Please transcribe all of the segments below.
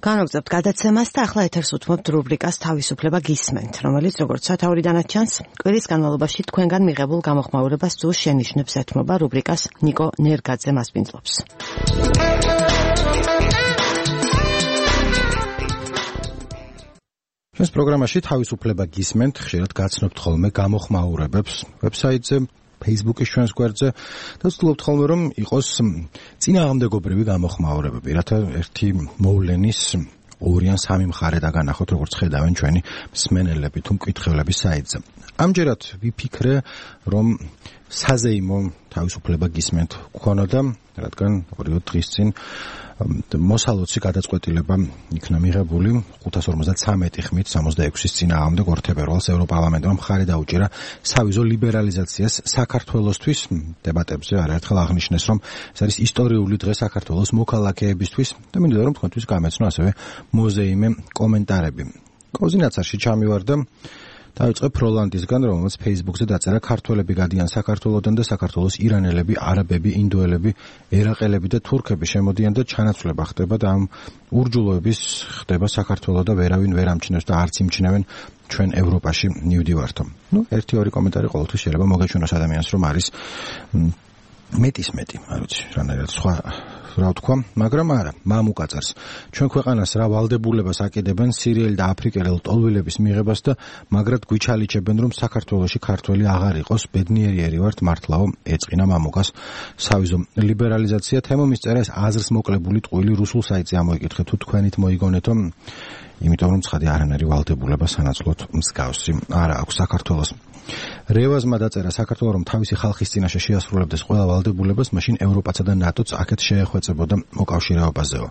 განაგრძობთ გადაცემას და ახლა ეთერს უთმობთ რუბრიკას თავისუფლება გისმენთ, რომელიც როგორც სათაურიდანაც ჩანს, კვირის განმავლობაში თქვენგან მიღებულ გამოხმაურებას თუ შენიშვნებს ეთმობა რუბრიკას ნიკო ნერგაძე მასპინძლობს. ჩვენს პროგრამაში თავისუფლება გისმენთ, ხშირად გაცნობთ ხოლმე გამოხმაურებებს ვებსაიტზე, Facebook-ის ჩვენს გვერდზე და ვცდილობთ ხოლმე რომ იყოს წინააღმდეგობრივი გამოხმაურებები, რათა ერთი მოვლენის ორი ან სამი მხარე დაგანახოთ, როგორც ხედავენ ჩვენი მსმენელები თუ მკითხველები საიტზე. ამჯერად ვიფიქრე, რომ საზეიმო თავისუფლება გისმენთ გქონოდა, რადგან 2 დღის წინ მოსალოცი გადაწყვეტილება იქნა მიღებული 553 ხმით 66-ის წინააღმდეგ 2 თებერვალს ევროპარლამენტმა მხარი დაუჭირა სავიზო ლიბერალიზაციას საქართველოსთვის. დებატებზე არაერთხელ აღნიშნეს, რომ ეს არის ისტორიული დღე საქართველოს მოქალაქეებისთვის და მინდოდა რომ თქვენთვის გამეცნო ასევე მოზეიმე კომენტარები. კოზინაცარში ჩამივარდა დავიწყე ფროლანდისგან, რომელსაც Facebook-ზე დაწერა ქართველები გადიან საქართველოდან და საქართველოს ირანელები, არაბები, ინდოელები, ერაყელები და თურქები შემოდიან და ჩანაცვლება ხდება და ამ ურჯულოების ხდება საქართველო და ვერავინ ვერ ამჩნევს და არც იმჩნევენ ჩვენ ევროპაში მივდივართო. ერთი-ორი კომენტარი ყოველთვის შეიძლება მოგეჩვენოს ადამიანს, რომ არის მეტის მეტი, არ ვიცი, რანაირად სხვა რა ვთქვა, მაგრამ არა, მამუკაწარს. ჩვენ ქვეყანას რა ვალდებულებას აკიდებენ სირიელი და აფრიკელი ლტოლვილების მიღებას და მაგრად გვიჩალიჩებენ, რომ საქართველოში ქართველი აღარ იყოს, ბედნიერი ვართ, მართლაო, ეწყინა მამუკას სავიზო ლიბერალიზაცია. თემომის წერა ეს აზრს მოკლებული ტყუილი რუსულ საიტზე ამოიკითხეთ, თუ თქვენით მოიგონეთო, იმიტომ რომ ცხადი არანაირი ვალდებულება სანაცვლოდ მსგავსი არა აქვს საქართველოს. რევაზმა დაწერა საქართველო რომ თავისი ხალხის წინაშე შეასრულებდეს ყველა ვალდებულებას, მაშინ ევროპაცა და ნატოც აქეთ შეეხვეწებოდა მოკავშირეობაზეო.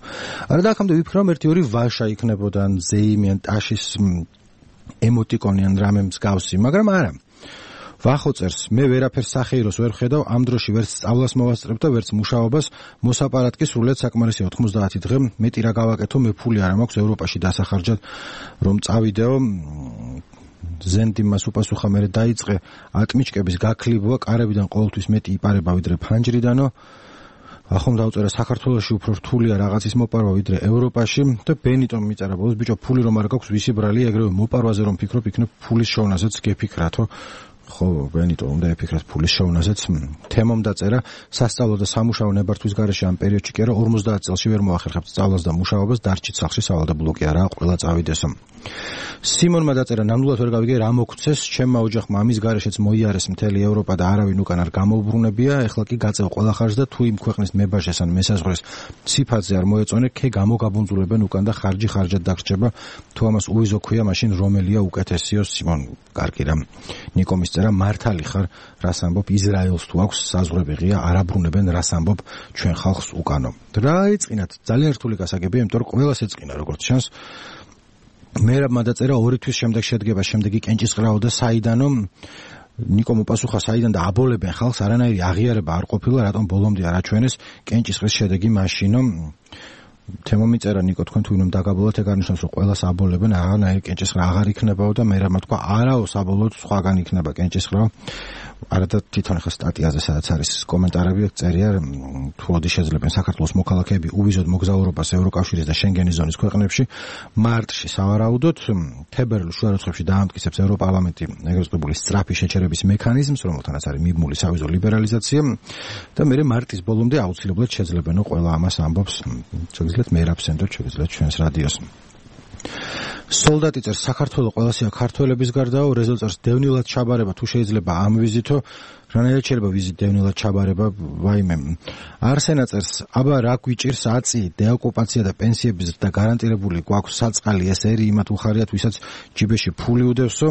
არა და აქამდე ვიფიქრე, რომ 1-2 ვაშა იქნებოდა, ზეიმი ან ტაშის ემოტიკონი ან რამე მსგავსი, მაგრამ არა. ვახოწერს, მე ვერაფერს სახეიროს ვერ ხედავ, ამ დროში ვერც სწავლას მოვასწრებ და ვერც მუშაობას, მოსაპარატკი სრულიად საკმარისია 90 დღე, მეტი რა გავაკეთო, მე ფული არ მაქვს ევროპაში დასახარჯად, რომ წავიდეო. ზენდიმას უპასუხა მერე დაიწყე ატმიჩკების გაქლიბვა, კარებიდან ყოველთვის მეტი იპარება ვიდრე ფანჯრიდანო. ახომ დაუწერა საქართველოში უფრო რთულია რაღაცის მოპარვა ვიდრე ევროპაში და ბენიტომ მიწერა ბოლოს, ბიჭო, ფული რომ არ გაქვს, ვისი ბრალია, ეგრევე მოპარვაზე რომ ფიქრობ, იქნებ ფულის შოვნაზეც გეფიქრათო. ხო, ბენიტო უნდა ეფიქრათ ფულის შოვნაზეც. თემომ დაწერა, სასწავლო და სამუშაო ნებართვის გარეშე ამ პერიოდში კი არა 50 წელში ვერ მოახერხებთ სწავლას და მუშაობას, დარჩით სახლში სავალდებულო კი არა, ყველა წავიდესო. სიმონმა დაწერა, ნამდვილად ვერ გავიგე რა მოგცეს, ჩემმა ოჯახმა ამის გარეშეც მოიარეს მთელი ევროპა და არავინ უკან არ გამოუბრუნებია, ეხლა კი გაწევ ყველა ხარჯს და თუ იმ ქვეყნის მებაშეს ან მესაზღვრეს ციფათზე არ მოეწონე, ქე გამოგაბუნძულებენ უკან და ხარჯი ხარჯად დაგრჩება, თუ ამას უიზო ქვია, მაშინ რომელია უკეთესიო? სიმონ კარგი რა. ნიკომის წერა, მართალი ხარ, რას ამბობ, ისრაელს თუ აქვს საზღვრები ღია, არ აბრუნებენ, რას ამბობ, ჩვენ ხალხს უკანო. რა ეწყინათ, ძალიან რთული გასაგებია, იმიტომ რომ ყველას ეწყინა, როგორც ჩანს. მერაბმა დაწერა 2 თვის შემდეგ შედგება, შემდეგი კენჭისყრაო და საიდანო. ნიკომ უპასუხა, საიდან და აბოლებენ ხალხს, არანაირი აღიარება არ ყოფილა, რატომ ბოლომდე არ აჩვენეს კენჭისყრის შედეგი მაშინო. თემომიწერა, ნიკო, თქვენ თუ ვინმე დაგაბოლოთ, ეგ არნიშნავს, რომ ყველას აბოლებენ, აღარნაირი კენჭისყრა აღარ იქნებაო და მერაბმა თქვა, არაო, საბოლოოდ სხვაგან იქნება კენჭისყრა. არა და თვითონ ხა სტატიაზე სადაც არის კომენტარები წერია, თუ როდის შეძლებენ საქართველოს მოქალაქეები უვიზოდ მოგზაურობას ევროკავშირის და შენგენის ზონის ქვეყნებში, მარტში სავარაუდოდ, თებერვლის შუა რიცხვებში დაამტკიცებს ევროპარლამენტი ეგრეთ წოდებული სწრაფი შეჩერების მექანიზმს, რომელთანაც არის მიბმული სავიზო ლიბერალიზაცია და მერე მარტის ბოლომდე აუცილებლად შეძლებენო ყველა ამას ამბობს, შეგიძლიათ მერაბსენდო, შეგიძლიათ ჩვენს რადიოს. სოლდატი წერს, საქართველოს ყველასია ქართველების გარდაო, რეზო წერს, დევნილად ჩაბარება თუ შეიძლება ამ ვიზითო, რანაირად შეიძლება ვიზით დევნილად ჩაბარება, ვაიმე. არსენა წერს, აბა რა გვიჭირს აწი, დეოკუპაცია და პენსიების ზრდა გარანტირებული გვაქვს საწყალი, ეს ერი იმათ უხარიათ, ვისაც ჯიბეში ფული უდევსო.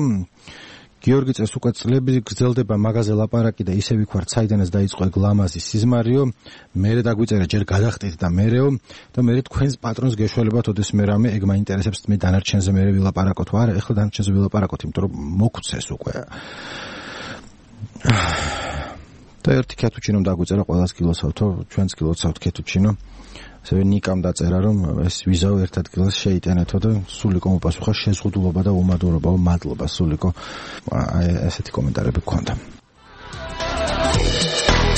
გიორგი წერს, უკვე წლები გრძელდება მაგაზე ლაპარაკი და ისე ვიქვართ, საიდანაც დაიწყო ეგ ლამაზი სიზმარიო, მერე დაგვიწერა ჯერ გადახტით და მერეო და მერე თქვენს პატრონს გეშველებათ, ოდეს მე რამე ეგ მაინტერესებს, მე დანარჩენზე მერე ვილაპარაკოთ, არა, ეხლა დანარჩენზე ვილაპარაკოთ, იმიტომ რომ მოგცეს უკვე. და ერთი კეთუჩინომ დაგვიწერა, ყველას გილოცავთო, ჩვენც გილოცავთ კეთუჩინო. ასევე ნიკამ დაწერა, რომ ეს ვიზაო ერთ ადგილას შეიტანეთო და სულიკო მოპასუხა, შეზღუდულობა და უმადურობა, მადლობა სულიკო. ესეთი კომენტარები გქონდა.